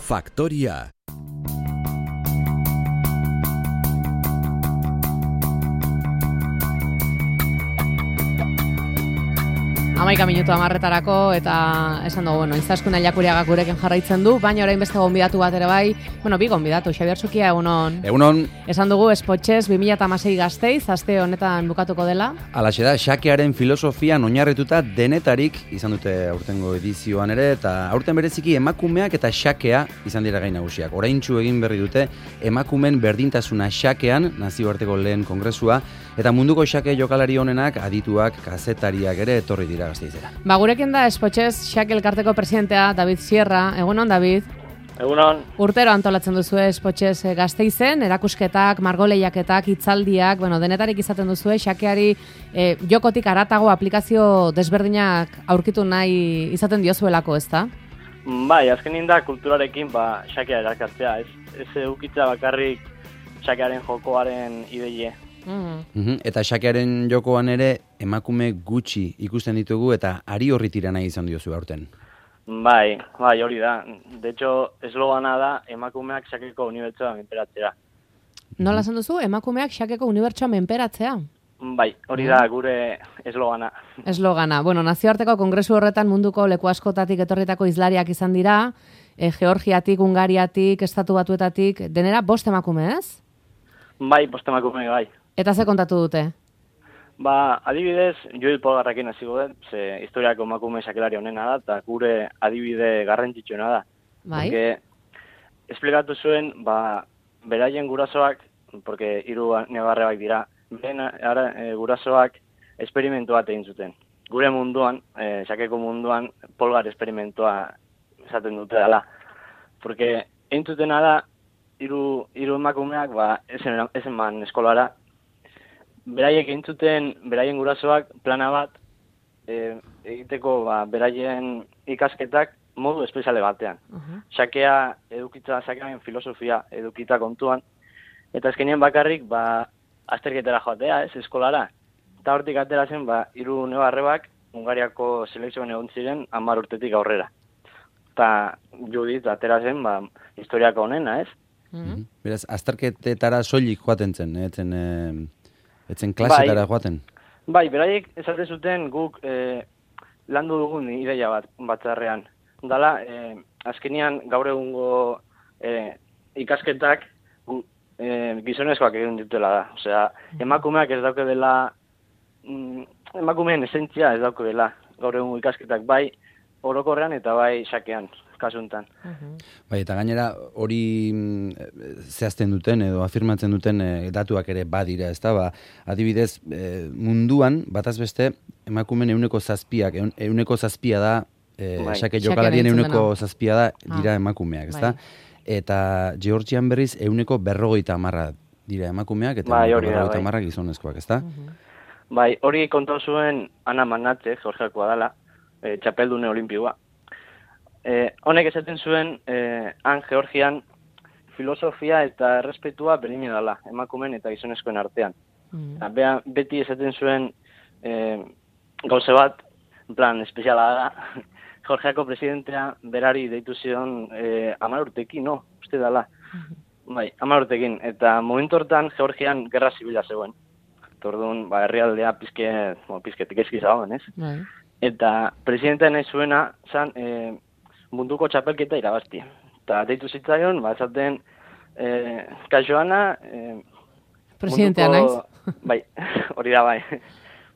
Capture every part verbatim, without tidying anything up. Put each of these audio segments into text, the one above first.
Faktoria. Hamaika minutu amarretarako eta esan dugu, bueno, Izaskun Aiakuriagak gurekin jarraitzen du, baina orain beste gonbidatu bat ere bai, bueno, bi gonbidatu, Xabier Zukia, egunon. Egunon. Esan dugu, Spotxez bi mila hamasei Gasteiz, aste honetan bukatuko dela. Alaxe da, xakearen filosofian oinarrituta denetarik izan dute aurtengo edizioan ere, eta aurten bereziki emakumeak eta xakea izan dira gai nagusiak. Oraintsu egin berri dute emakumen berdintasuna xakean, nazioarteko lehen kongresua, eta munduko xake jokalari honenak adituak, kazetariak ere etorri dira Gasteizera. Ba, gurekin da Spotxez xake elkarteko presidentea David Sierra. Egunon, David. Egunon. Urtero antolatzen duzu Spotxez Gasteizen, erakusketak, margoleiaketak, hitzaldiak, bueno, denetarik izaten duzu xakeari e, jokotik haratago aplikazio desberdinak aurkitu nahi izaten diozuelako, ezta? Bai, azkenin da kulturarekin ba xakea erakartzea, ez ez edukitza bakarrik xakearen jokoaren ideie. Mm. Mm-hmm. Eta xakearen jokoan ere emakume gutxi ikusten ditugu eta ari horri tira nahi izan diozu aurten. Bai, bai, hori da. De hecho, eslogana da emakumeak xakeko unibertsoa menperatzea. Nola esan duzu? Emakumeak xakeko unibertsoa menperatzea? Bai, hori da gure eslogana. Eslogana. Bueno, nazioarteko kongresu horretan munduko leku askotatik etorritako hizlariak izan dira, e, Georgiatik, Hungariatik, Estatu Batuetatik, denera bost emakume, ez? Bai, bost emakume bai. Eta ze kontatu dute? Ba, adibidez, Joel Polgarrekin hasi godet, ze historiako emakume xakelari honena da, eta gure adibide garrantzitsuena da. Bai. Porque, esplikatu zuen, ba, beraien gurasoak, porque hiru negarrebak dira, beren ara, e, gurasoak esperimentu bat egin zuten. Gure munduan, e, xakeko munduan, Polgar esperimentua esaten dute dela. Porque, egin zutena da, hiru hiru emakumeak, ba, esen, esen man eskolara, beraiek entzuten, beraien gurasoak plana bat e, egiteko ba, beraien ikasketak modu espeziale batean. Uh-huh. Xakea edukitza, xakearen filosofia edukitza kontuan, eta azkenean bakarrik ba, azterketara joatea, ez, eskolara. Eta hortik atera zen, ba, hiru nebarrebak Hungariako selekzioan egon ziren hamar urtetik aurrera. Eta Judith atera zen, ba, historiako honena, ez? Uh-huh. Beraz, azterketetara soilik joaten zen, etzen... Eh... Etzen klasetara bai, joaten? Bai, beraiek esate zuten guk e, landu dugun ideia bat batzarrean. Dala, e, azkenian gaur egungo e, ikasketak gu, e, gizonezkoak egin dutela da. Osea, emakumeak ez dauke dela, mm, emakumeen esentzia ez dauke dela. Gaur egungo ikasketak bai orokorrean eta bai xakean, kasuntan. Uh-huh. Bai, eta gainera hori zehazten duten edo afirmatzen duten e, datuak ere badira, ezta? Ba, adibidez, e, munduan bataz beste emakumeen ehuneko zazpiak, ehuneko zazpia da, e, bai. xake jokalarien ehuneko zazpia da dira ah. emakumeak, ezta? Bai. Eta Georgian berriz ehuneko berrogeita hamarra dira emakumeak eta bai, berrogeita bai. hamarra gizonezkoak, ezta? Uh-huh. Bai, hori kontatu zuen Ana Manatze, Georgiakoa dela, e, txapeldune olimpioa. Eh, honek esaten zuen, eh, han Georgian filosofia eta errespetua berdina dela, emakumen eta gizonezkoen artean. Mm. Bea, beti esaten zuen eh, gauze bat, en plan, espeziala da, Georgiako presidentea berari deitu zion eh, hamar urtekin, no, uste dela. Mm-hmm. Bai, hamar urtekin, eta momentu hortan Georgian gerra zibila zegoen. Orduan, ba, herrialdea pizke, bueno, pizketik ezki zagoen, ez? Bai. Eta presidentea nahi zuena, zan, eh, munduko txapelketa irabazti. Eta deitu zitzaion, ba, esaten, eh, kaixoana... Eh, presidentea munduko, naiz? Bai, hori da bai.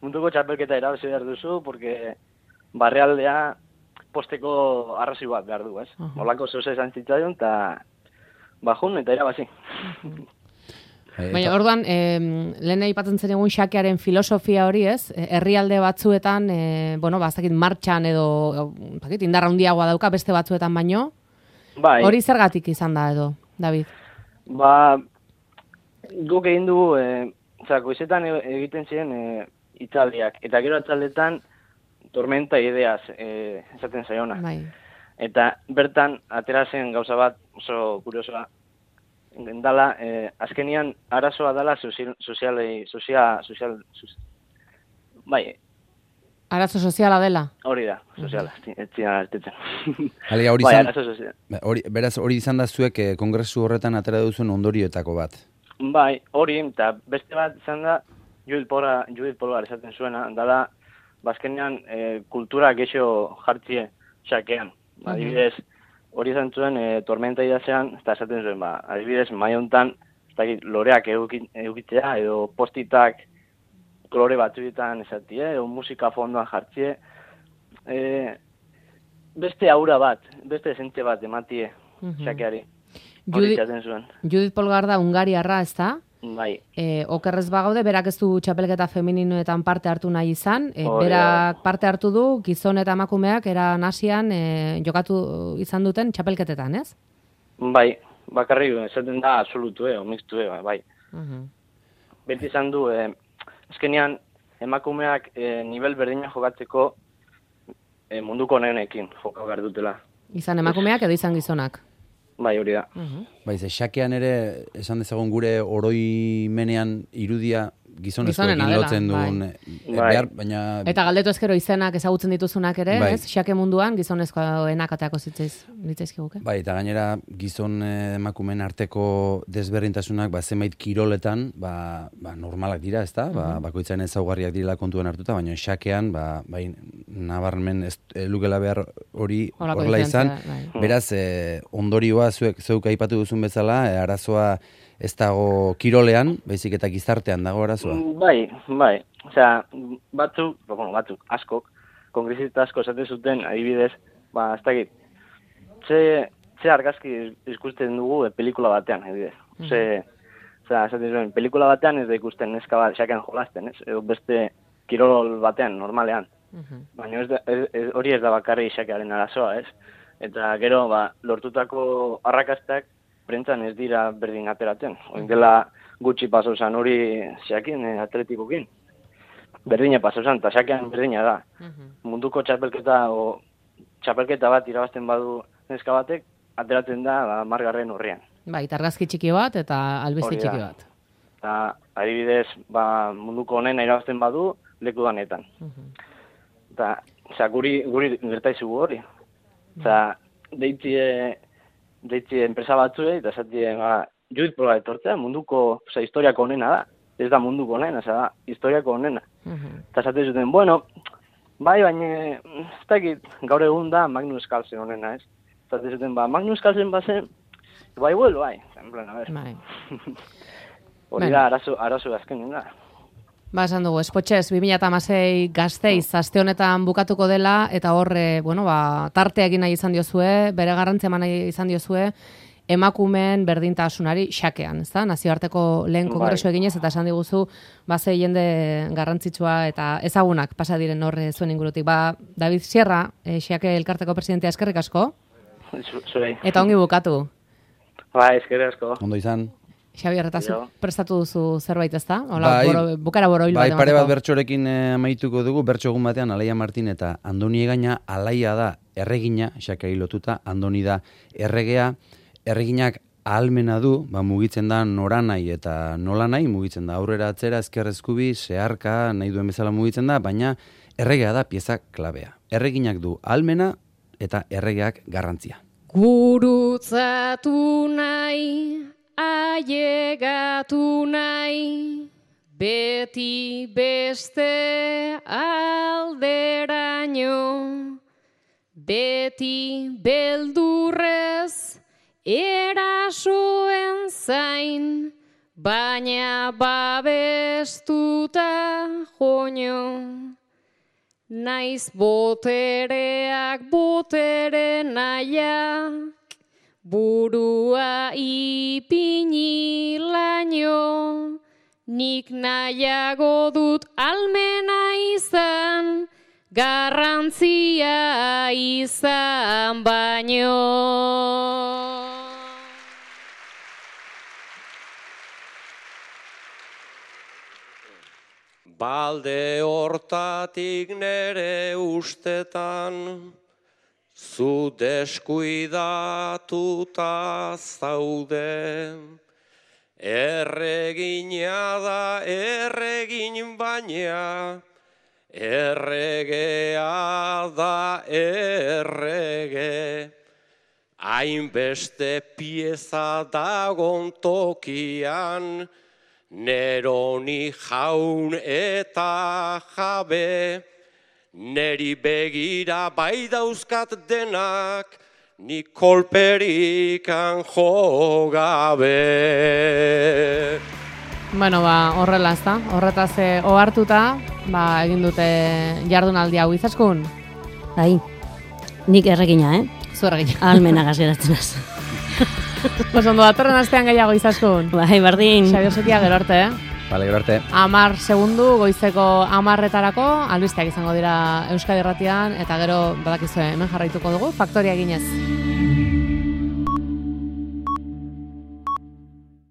Munduko txapelketa irabazi behar duzu, porque barrealdea posteko arrazoi bat behar du, ez? Uh-huh. Olako zeuze esan zitzaion, eta bajun eta irabazi. Uh-huh. Baina, orduan, eh, lehen aipatzen zen egun xakearen filosofia hori, ez? Herrialde batzuetan, eh, bueno, bazakit martxan edo, bazakit, indarra handiagoa dauka beste batzuetan baino. Bai. Hori zergatik izan da edo, David? Ba, guk egin dugu, eh, oza, goizetan egiten ziren eh, itzaldiak, eta gero atzaldetan tormenta ideaz eh, esaten zaiona. Bai. Eta bertan, atera zen gauza bat oso kuriosoa, dala, eh, azkenian arazoa dela sozial, sozial, sozial, sozial, bai, Arazo soziala dela. Hori da, soziala, ez zian artetzen. Alia, hori bai, izan, arazo soziala. hori, beraz, hori izan da zuek eh, kongresu horretan atera duzuen ondorioetako bat. Bai, hori, eta beste bat izan da, Judith Polgar, Judith Polgar esaten zuena, dala, bazkenean e, kultura gexo jartzie xakean. Adibidez, hori izan zuen, e, tormenta idazean, eta esaten zuen, ba, adibidez, mai hontan, ez dakit, loreak eukitzea, edo postitak kolore batzuetan esatie, edo musika fondoan jartzie, e, beste aura bat, beste esente bat ematie xakeari. Hori izaten zuen. Judith Polgar da Hungariarra, ez da? Bai. E, okerrez bagaude, berak ez du txapelketa femininoetan parte hartu nahi izan. E, Oh, berak yeah. parte hartu du, gizon eta emakumeak era nasian e, jokatu izan duten txapelketetan, ez? Bai, bakarri esaten da absolutu, eh, omixtu, eh, bai. Uh-huh. Beti izan du, eh, azkenean emakumeak eh, nivel berdina jokatzeko eh, munduko honenekin jokatu behar dutela. Izan emakumeak edo izan gizonak. Bai, hori da. Uh-huh. Bai, ze xakean ere, esan dezagun gure oroimenean irudia gizonezkoekin Gizonena dela, lotzen duen, bai. eh, Bai. behar, baina... Eta galdetu ezkero izenak ezagutzen dituzunak ere, Bai. ez? Xake munduan gizonezkoenak ateako zitzaiz, litzaizkiguke. Bai, eta gainera gizon eh, emakumeen arteko desberdintasunak ba, zenbait kiroletan ba, ba, normalak dira, ezta? Ba, bakoitzaren ezaugarriak direla kontuan hartuta, baina xakean ba, bai, nabarmen ez e, lukela behar hori Horako horrela izan. diferentzia, bai. Beraz, eh, ondorioa zuek zeuk aipatu duzun bezala, eh, arazoa ez dago kirolean, baizik eta gizartean dago arazoa. Bai, bai. Osea, batzuk, bueno, batzuk, askok, kongresista asko esaten zuten, adibidez, ba, ez dakit, ze, ze argazki ikusten dugu e, pelikula batean, adibidez. Ze, osea, esaten zuen, pelikula batean ez da ikusten neska bat xakean jolasten, ez? Edo beste kirol batean, normalean. Uh-huh. Baina ez da, ez, ez, hori ez da bakarri xakearen arazoa, ez? Eta gero, ba, lortutako arrakastak prentzan ez dira berdin ateratzen. Oin dela gutxi paso zan hori xakin eh, atletikokin. Berdina paso zan, eta xakean berdina da. Uh-huh. Munduko txapelketa o txapelketa bat irabazten badu neska batek, ateratzen da ba, margarren horrean. Bai, argazki txiki bat eta albiste Hori da. txiki bat. Eta adibidez, ba, munduko honena irabazten badu, leku danetan. Uh-huh. Eta, osea, guri, guri gertaizugu hori. Osea, deitzie, deitzie enpresa batzuei, eta esatie, ba, Judith Polgar etortzea, munduko, osea, historiako honena da. Ez da munduko honena, osea, da, historiako honena. Uh-huh. Eta esaten zuten, bueno, bai, baina, ez dakit, gaur egun da Magnus Carlsen honena, ez? Esaten zuten, ba, Magnus Carlsen bazen, bai, vuelo, bai. En plan, a ver. Bai. Hori Bueno. da, arazo, arazo azkenen da. Ba, esan dugu, Espotxez, bi mila hamasei Gasteiz aste honetan bukatuko dela, eta hor, e, bueno, ba, tartea egin nahi izan diozue, bere garrantzia eman nahi izan diozue, emakumeen berdintasunari xakean, ezta? Nazioarteko lehen Bai. kongresu eginez, eta esan diguzu, ba, ze jende garrantzitsua eta ezagunak pasa diren hor e, zuen ingurutik. Ba, David Sierra, e, xake elkarteko presidentea, eskerrik asko, Zu- Zuei. eta ongi bukatu. Ba, eskerrik asko. Ondo izan? Xabier, eta zu Jo. prestatu duzu zerbait, ezta? Hola, Bai. boro, bukara boroil Bai, bat pare bat emateko. bertsorekin eh, amaituko dugu, bertso egun batean Alaia Martin eta Andoni Egaina. Alaia da erregina, xakari lotuta, Andoni da erregea, erreginak ahalmena du, ba, mugitzen da noranai eta nolanai, mugitzen da aurrera atzera, ezker eskubi, zeharka, nahi duen bezala mugitzen da, baina erregea da pieza klabea. Erreginak du ahalmena eta erregeak garrantzia. Gurutzatu nahi, ailegatu nahi, beti beste alderaino, beti beldurrez erasoen zain, baina babestuta joño. Naiz botereak botere nahiak, burua ipini laino, nik nahiago dut almena izan, garrantzia izan baino. Balde hortatik nere ustetan, zu deskuidatuta zaude. Erregina da erregin baina, erregea da errege, hainbeste pieza dagon tokian, Neroni jaun eta jabe, neri begira bai dauzkat denak, ni kolperikan jo gabe. Bueno, ba, horrela ez da, horretaz eh, ohartuta, ba, egin dute jardunaldi hau Izaskun. Bai, nik erregina, eh? Zu erregina. Almenagaz geratzen az. Pues ondo datorren astean gehiago Izaskun. Bai, berdin. Xabi Osokia gero arte, eh? Bale, gero arte. Amar segundu, goizeko amarretarako, albisteak izango dira Euskadi Irratian, eta gero badakizue hemen jarraituko dugu, faktoria eginez.